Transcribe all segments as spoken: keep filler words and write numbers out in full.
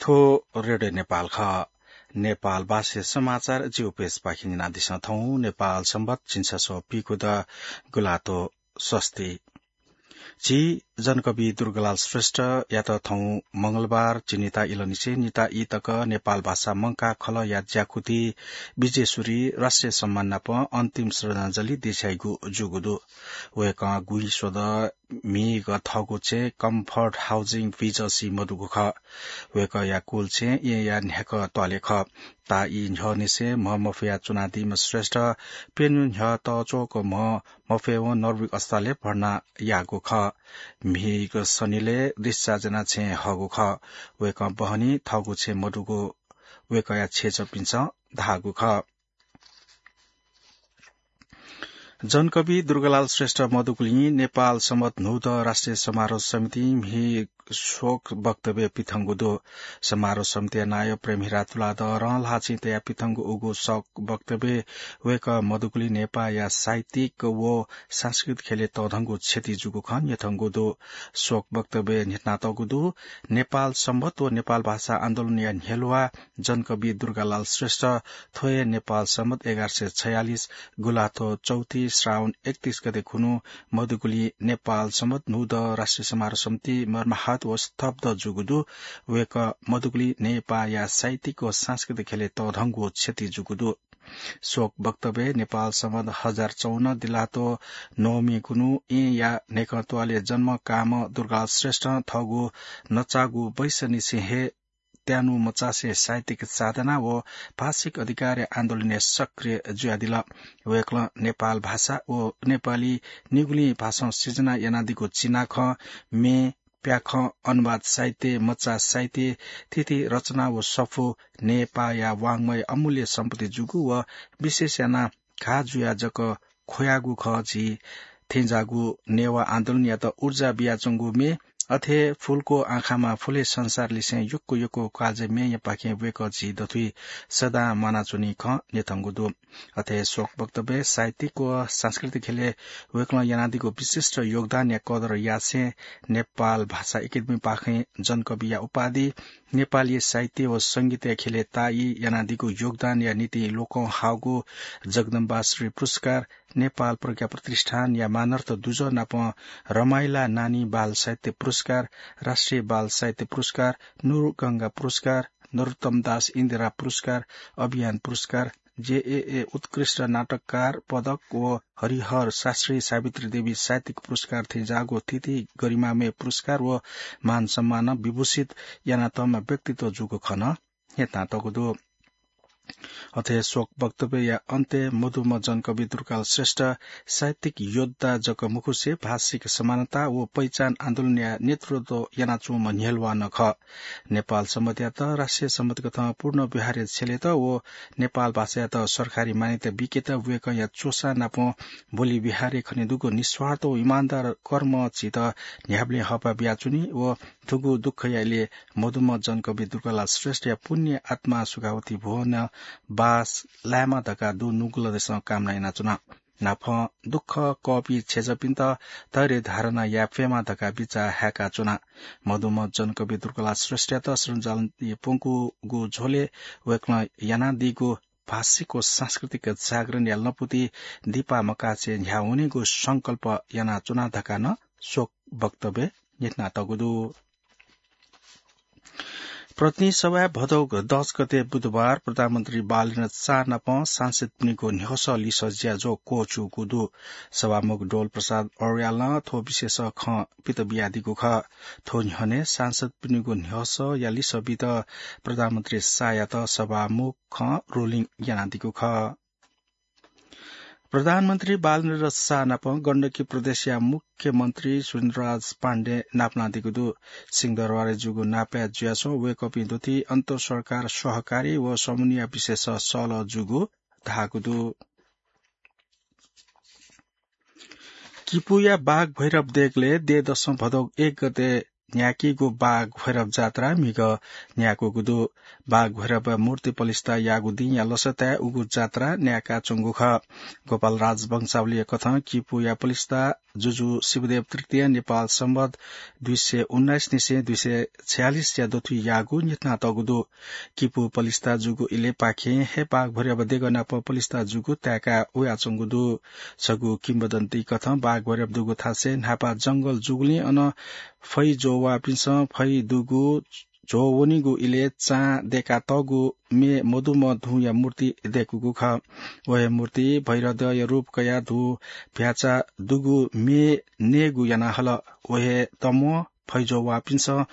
थ्व रेडियो नेपाल खः। नेपाल भाषाय् समाचार जिगु पेजपाखें न्यनादिसँ। थौं नेपाल संवत् झिंछसः पीगु द गुल्हातो स्वस्ति। झी जनकवि दुर्गालाल श्रेष्ठयात थौं मंगलबार झिंनिता इलंनिसें निता ई तक नेपाल भाषा मंकाः खलःया ज्याकुति विजेश्वरी राष्ट्रिय सम्मान नाप अन्तिम श्रद्धाञ्जली देछाइगु जूगु दु। वय्कलं गुइस्वदँ म्हिगः थःगु छेँ Comfort Housing Village-य् मदुगु खः। वय्कःया कुल छेँ येँया न्ह्याक्व त्वालय् खः। ताःई न्ह्यःनिसें म्ह मफया च्वनादीम्ह श्रेष्ठ प्यन्हु न्ह्यः तःच्वःक म्ह मफयेवं नर्विक अस्पतालय् भर्ना याःगु खः। म्हिगः सनिलय् discharge यानाः छेँ हःगु खः। वय्कलं बहनी थःगु छेँ मदुगु वय्कःया छेँजःपिन्सं धाःगु खः। जनकवि दुर्गालाल श्रेष्ठ मदुगुलिं नेपाल संवत् न्हूदँ राष्ट्रिय समारोह समितिं म्हि शोक वक्तव्य पिथंगु दु। समारोह समितिया नायः प्रेमहिरा तुलाधरं ल्हाःचिं तयाः पिथंगु उगु शोक वक्तव्यय् वय्कः मदुगुलिं नेपाःया साहित्यिक व सांस्कृतिक ख्यलय् तःधंगु क्षति जूगु खँ न्ह्यथंगु दु। शोक वक्तव्यय् न्ह्यथनातःगु दु, नेपाल संवत् व नेपाल भाषा आन्दोलनया न्ह्यलुवा जनकवि दुर्गालाल श्रेष्ठ थ्व हे नेपाल संवत् एघार सय छयालिस गुल्हातो चौथी श्रावण एकतीस गते खुन्हु मदुगुलिं नेपाल संवत् न्हूदँ राष्ट्रिय समारोह समिति मर्माहत व स्तब्ध जूगु दु। वय्कः मदुगुलिं नेपाःया साहित्यिक व सांस्कृतिक ख्यलय् तःधंगु क्षति जूगु दु। शोक वक्तव्यय् नेपाल संवत् हजार चौवन्न दिल्हातो नवमी खुन्हु येँया न्हय्कं त्वालय् जन्म काःम्ह दुर्गालाल श्रेष्ठं थःगु नचाःगु बैसनिसें हे त्यानु मचासे साहित्यिक साधना व भाषिक अधिकारया आन्दोलनय् सक्रिय जुयादिल। वय्कलं नेपाल भाषा व नेपाली निगुलिं भाषां सिर्जना यानादीगु चिनाखँ, म्ये, प्याखं, अनुवाद साहित्य, मचा साहित्य, थीथी रचना व सफू नेपाःया वाङ्मय अमूल्य सम्पत्ति जूगु व विशेष यानाः घाः जुयाः जक ख्वयागु खः। झी थेंज्याःगु नेवाः आन्दोलनयात ऊर्जा बियाच्वंगु म्ये, अथे फुलको आँखामा फुले संसारलिसें यक्व यक्व कालजय् म्येयापाखें वय्कः झी दथुइ सदां म्वानाच्वनी खँ न्ह्यथंगु दु। अथे शोक वक्तव्यय् साहित्यिक व सांस्कृतिक ख्यलय् वय्कलं यानादीगु विशिष्ट योगदानया कदर यासें नेपाल भाषा एकेडेमीपाखें जनकविया उपाधि, नेपाली साहित्य व संगीतया ख्यलय् ताःई यानादीगु योगदानया निंतिं लोकं हाःगु जगदम्बाश्री पुरस्कार, नेपाल प्रज्ञा प्रतिष्ठानया मानर्थ दुजः नाप रमाइला नानी बाल साहित्य पुरस्कार, राष्ट्रिय बाल साहित्य पुरस्कार, नुरगंगा पुरस्कार, नरोत्तम दास इन्दिरा पुरस्कार, अभियान पुरस्कार, जेएए उत्कृष्ट नाटककार पदक व हरिहर शास्त्री सावित्री देवी साहित्यिक पुरस्कार थेंज्याःगु थीथी गरिमामय पुरस्कार व मान सम्मानं विभूषित यानातःम्ह व्यक्तित्व जूगु खँ नं न्ह्यथनातःगु दु। अथे शोक वक्तव्यया अन्त्यय् मदुम्ह जनकवि दुर्गालाल श्रेष्ठ साहित्यिक योद्धा जक मखुसे भाषिक समानता व पहिचान आन्दोलनया नेतृत्व यानाच्वंम्ह न्ह्यलुवा नं खः। नेपाल संवत्‌यात राष्ट्रिय संवत्‌कथं पूर्ण व्यवहारय् छ्यलेत व नेपाल भाषायात सरकारी मान्यता बीकेत वय्कःया च्वसा नाप बोली व्यवहारय् खनेदुगु निस्वार्थ व इमानदार कर्मं झीत न्ह्याबलें हःपाः बियाच्वनी व थुगु दुःखया इलय् मदुम्ह जनकवि दुर्गालाल श्रेष्ठया पुण्य आत्मा सुखावती भुवनं बास लायेमा धकाः दुनुगलंनिसें कामना यानाच्वना। नापं दुःख कःपिं छेँजःपिन्त धैर्य धारणा याये फयेमा धकाः बिचाः हाय्काच्वना। मदुम्ह जनकवि दुर्गालाल श्रेष्ठयात श्रद्धाञ्जली प्वंकूगु झ्वलय् वय्कलं यानादीगु भाषिक व सांस्कृतिक जागरणया लँपुति दिपा मकासे न्ह्यावनेगु संकल्प यानाच्वना धकाः नं शोक वक्तव्यय् न्ह्यथनातःगु दु। प्रतिनिधि सभाय् भदौ दस गते बुधबार प्रधानमन्त्री बालेन्द्र शाह नाप सांसदपिनिगु न्ह्यसः लिसः ज्याझ्वः क्वःछिउगु दु। सभामुख डोल प्रसाद अर्यालं थ्व विषयस खँ पित बियादीगु खः। थ्व न्ह्यःने सांसदपिनिगु न्ह्यसःया लिसः बीत प्रधानमन्त्री शाहयात सभामुखं ruling यानादीगु खः। प्रधानमन्त्री बालेन्द्र शाह नाप गण्डकी प्रदेशया मुख्यमन्त्री सुरेन्द्रराज पाण्डे नापलानादीगु दु। सिंहदरबारय् जूगु नापय् जुयाच्वंगु वय्कःपिं दथुइ अन्तरसरकार सहकारी व समन्वय विषयस सहलह जूगु धाःगु दु। किपूया बाघ भैरव देगलय् दँय्‌दसं भदौ एक गते न्ह्याकीगु बाघ भैरव जात्रा म्हिगः न्ह्याकूगु दु। बाघ भैरवया मूर्ति पलिस्था याःगु दिंया लसताय् उगु जात्रा न्ह्याकाच्वंगु खः। गोपाल राज वंशावलीया कथं किपूया पलिस्था जुजु शिवदेव तृतीया नेपाल सम्बत दुई सय उन्नाइस निसें दुई सय छयालिस या दथुइ याःगु न्ह्यथनातःगु दु। किपु पलिस्था जूगु इलय् पाखें हे बाघभैरव देगः नाप पलिस्था जूगु ताय्‌का वयाच्वंगु दु। छगू किंवदन्ती कथं बाघभैरव दुगु थासय् न्हापा जंगल जूगुलिं अन फैजोवापिन्सं फै दुगु झ्वः वनीगु इलय् चां दय्‌कातःगु म्ये मदुम्ह धूया मूर्ति दय्‌कूगु खः। व हे मूर्ति भैरवद्यःया रूप कयाः धू भ्याचा दुगु म्ये नयेगु याना हल। व हे तम्वः फैजोवापिन्सं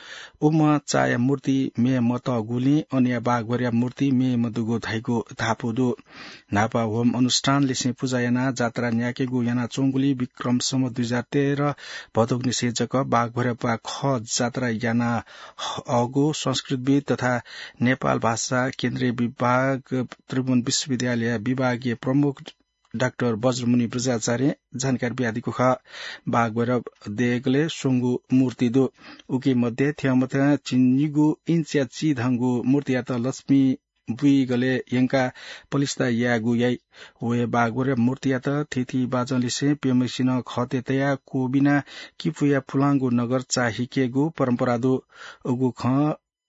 उम्ह चाया मूर्ति म्ये मतःगुलिं अनया बाघभैरवया मूर्ति म्ये मदुगु धाइगु धापू दु। न्हापा होम अनुष्ठान लिसें पुजा यानाः जात्रा न्याकेगु यानाच्वंगुलिं विक्रम सम्वत दुई हजार तेह्र भदौनिसें जक बाघभैरवया खः जात्रा याना हःगु संस्कृतिविद् तथा नेपाल भाषा केन्द्रीय विभाग त्रिभुवन विश्वविद्यालय विभागीय प्रमुख डाक्टर बज्रमुनि बज्राचार्यं जानकारी बियादीगु खः। बाघभैरव देगलय् स्वंगू मूर्ति दु। उकी मध्ये थ्यंमथ्यं झिंनिगू इन्चया चिधंगु मूर्तियात लक्ष्मी बुइगलय् यंकाः पलिस्था यायेगु याइ। व हे बाघभैरव मूर्तियात थीथी बाजं लिसें प्यम्हेसिनं खःतय् तयाः क्वबिनाः किपुया पुलांगु नगर चाःहिकेगु परम्परा दु। उगु खँ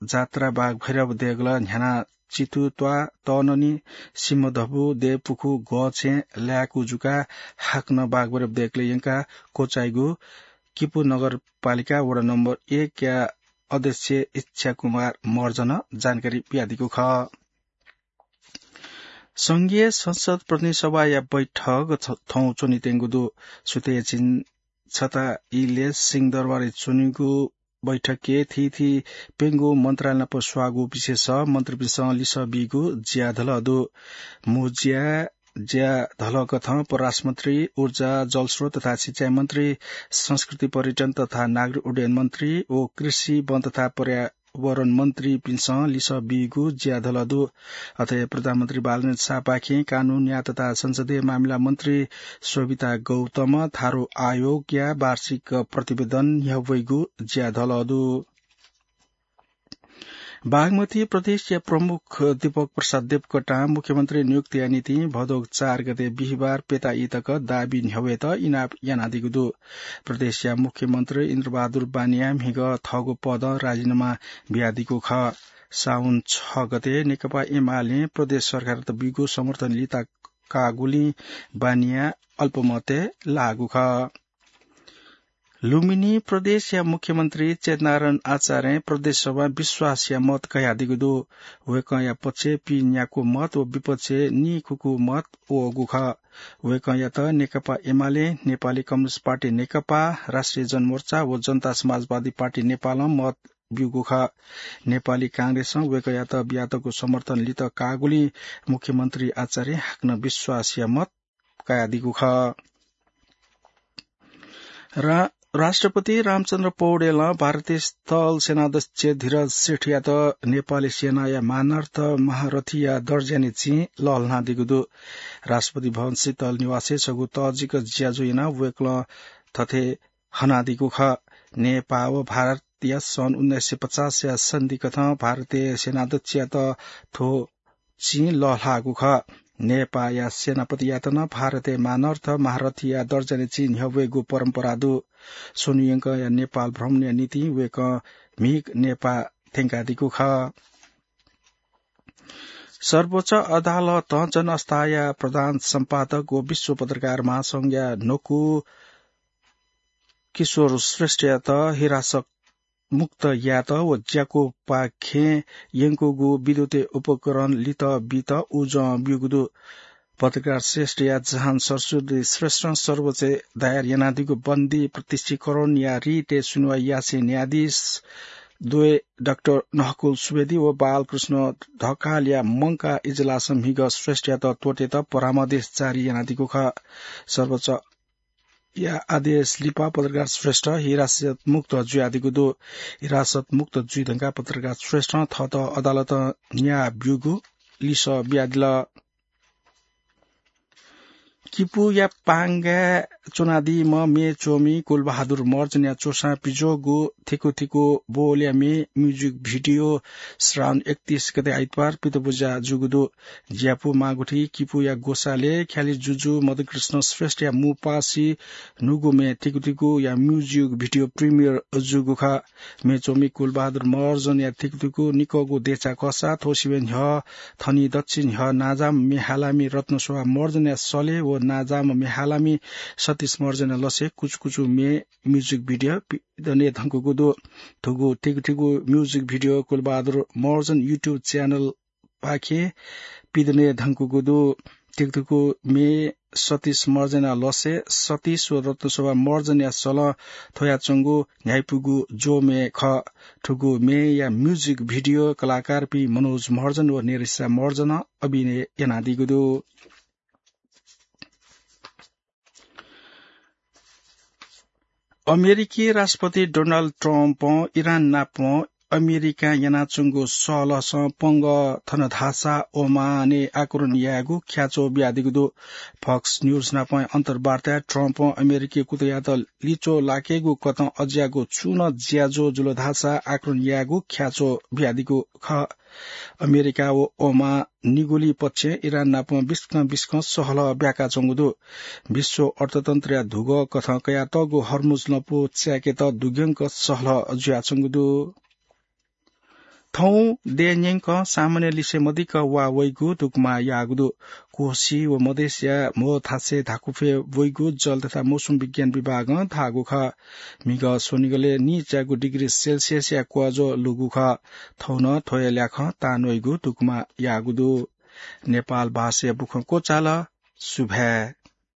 जात्रा बाघभैरव देगलं न्ह्यानाः चितु त्वाः तःननि सिंहधपु देवपुखू गःछेँ लाय्‌कू जुकाः हाकनं बाघभैरव देगलय् यंकाः क्वचाइगु किपु नगरपालिका वडा नम्बर एकया अध्यक्ष इच्छा कुमार महर्जनं जानकारी बियादीगु खः। संघीय संसद प्रतिनिधि सभाया बैठक थ-, थौं च्वनेत्यंगु दु। सुथय् झिंछता इलय् सिंहदरबारय् च्वनीगु बैठकय् थीथी प्यंगू मन्त्रालय नाप स्वाःगु विषयस मन्त्रीपिन्सं लिसः बीगु ज्याधलः दु। मू ज्या ज्याधलः कथं परराष्ट्र मन्त्री, ऊर्जा, जलस्रोत तथा सिँचाइ मन्त्री, संस्कृति पर्यटन तथा नागरिक उड्डयन मन्त्री व कृषि, वन तथा पर्यावरण मन्त्रीपिन्सं लिसः बीगु ज्याधलः दु। अथे प्रधानमन्त्री बालकृष्ण शाहपाखें कानून, न्याय तथा संसदीय मामिला मन्त्री शोभिता गौतमं थारु आयोगया वार्षिक प्रतिवेदन न्ह्यब्वइगु ज्याधलः दु। बागमती प्रदेशया प्रमुख दीपक प्रसाद देवकोटां मुख्यमन्त्री नियुक्तिया निंतिं भदौ चार गते बिहिबार प्यता ई तक दाबी न्ह्यब्वयेत इनाप यानादीगु दु। प्रदेशया मुख्यमन्त्री इन्द्रबहादुर बानियां म्हिगः थःगु पदं राजीनामा बियादीगु खः। साउन छ गते नेकपा एमालें प्रदेश सरकारयात बीगु समर्थन लिता काःगुलिं बानियां अल्पमतय् लाःगु खः। लुम्बिनी प्रदेशया मुख्यमन्त्री चेतनारायण आचार्यं प्रदेशसभां विश्वासया मत कयादीगु दु। वय्‌कःया पक्षय् पीन्याक्व मत व विपक्षय् नीखुक्व मत वःगु खः। वय्‌कःयात नेकपा एमाले, नेपाली कम्युनिस्ट पार्टी नेकपा, राष्ट्रिय जनमोर्चा व जनता समाजवादी पार्टी नेपालं मत ब्यूगु खः। नेपाली कांग्रेसं वय्‌कःयात बियातःगु समर्थन लित काःगुलिं मुख्यमन्त्री आचार्यं हाकनं विश्वासया मत कयादीगु खः। रा-, राष्ट्रपति रामचन्द्र पौडेलं भारतीय स्थल सेनाध्यक्ष धीरज श्रेष्ठयात नेपाली सेनाया मानार्थ महारथीया दर्जाया निंतिं लःल्हानादीगु दु। राष्ट्रपति भवन शीतल निवासय् छगू तःजिक ज्याझ्वः यानाः वय्‌कलं थथे हनादीगु खः। नेपाः व भारतया सन् उन्नाइस सय पचासया सन्धिकथं भारतीय सेनाध्यक्षयात थ्व चिं लःल्हाःगु खः। नेपाःया सेनापतियात नं भारतय् मानार्थ महारथीया दर्जाया निंतिं न्ह्यब्वयेगु परम्परा दु। स्वन्हु यंकःया नेपाल भ्रमणया निंतिं वय्‌कः म्हिगः नेपाः थ्यंकादीगु खः। सर्वोच्च अदालतं जनअवस्थाया प्रधान सम्पादक व विश्व पत्रकार महासंघया न्हकू किशोर श्रेष्ठयात हिरासत मुक्त यायेत व ज्याकूपाखें यंकूगु विद्युतीय उपकरण लित बीत उजं ब्यूगु दु। पत्रकार श्रेष्ठया जहान सरस्वती श्रेष्ठं सर्वोच्चय् दायर यानादीगु बन्दी प्रत्यक्षीकरणया रिटय् सुनुवाइ यासें न्यायाधीश द्वय डाक्टर नहकुल सुवेदी व बालकृष्ण ढकालया मंकाः इजलासं म्हिगः श्रेष्ठयात त्वःतेत परामर्श जारी यानादीगु खः। सर्वोच्चया आदेश लिपा पत्रकार श्रेष्ठ हिरासत मुक्त जुयादीगु दु। हिरासत मुक्त जुइ धुंकाः पत्रकार श्रेष्ठं थःत अदालतं न्याय ब्यूगु लिसः बियादिल। किपुया पांगाय् च्वनादीम्ह म्ये च्वमि कुलबहादुर महर्जनया च्वसां पिज्वःगु थिकु थिकु बोलया म्ये music video श्रावण एकतीस गते आइतबार पितबुजा जूगु दु। ज्यापु माःगुथि किपुया ग्वसालय् ख्यालि जुजु मदनकृष्ण श्रेष्ठया मुपासि न्हूगु म्ये थिकु थिकुया music video premiere जूगु खः। म्ये च्वमि कुलबहादुर महर्जनया थिकु थिकु निकःगु देछाः खःसा थ्व सिबें न्ह्यः थनि दच्छि न्ह्यः नांजाःम्ह म्ये हालामि रत्नशोभा महर्जनया सलय् व नांजाःम्ह म्ये हालामि सतीश महर्जनया लसय् कुचुकुचु म्ये music video पिदने धंकुगु दु। थुगु थिकु थिकु music video Kulbahadur Maharjan YouTube channel पाखें पिदने धंकुगु दु। थिकु थिकु म्ये सतीश महर्जनया लसय् सतीश व रत्नशोभा महर्जनया सलं थ्वयाच्वंगु न्ह्याइपुगु ज्वः म्ये खः। थुगु म्येया music video कलाकारपिं मनोज महर्जन व नेरिसा महर्जनं अभिनय यानादीगु दु। अमेरिकी राष्ट्रपति डोनाल्ड ट्रम्पं इरान नाप अमेरिकां यानाच्वंगु सहलहसं पंगः थन धाःसा ओमानय् आक्रमण यायेगु ख्याच्वः बियादीगु दु। Fox News नाप अन्तर्वार्ताय् ट्रम्पं अमेरिकी कुतःयात लिच्वः लाकेगु कथं अज्याःगु छुं नं ज्याझ्वः जुल धाःसा आक्रमण यायेगु ख्याच्वः बियादीगु खः। अमेरिका व ओमान निगुलिं पक्षं इरान नाप बिस्कं बिस्कं सहलह ब्याकाच्वंगु दु। विश्व अर्थतन्त्रया धुगः कथं कयातःगु हर्मुज लँपु चाय्केत दुग्यंक सहलह जुयाच्वंगु दु। थौं देय् न्यंकं सामान्य लिसे मदिक्क वा वइगु दुगुमा याःगु दु। कोशी व मधेशया म्हो थासय् धाकुफ्वय् वइगु जल तथा मौसम विज्ञान विभागं धाःगु खः। म्हिगः स्वनिगलय् नीच्यागु degree Celsius या क्वःज्वः लूगु खः। थौं नं थ्व हे ल्याखं तांन्वइगु दुगुमा याःगु दु। नेपाल भाषाया बुखँ क्वचाल। सुभाय्।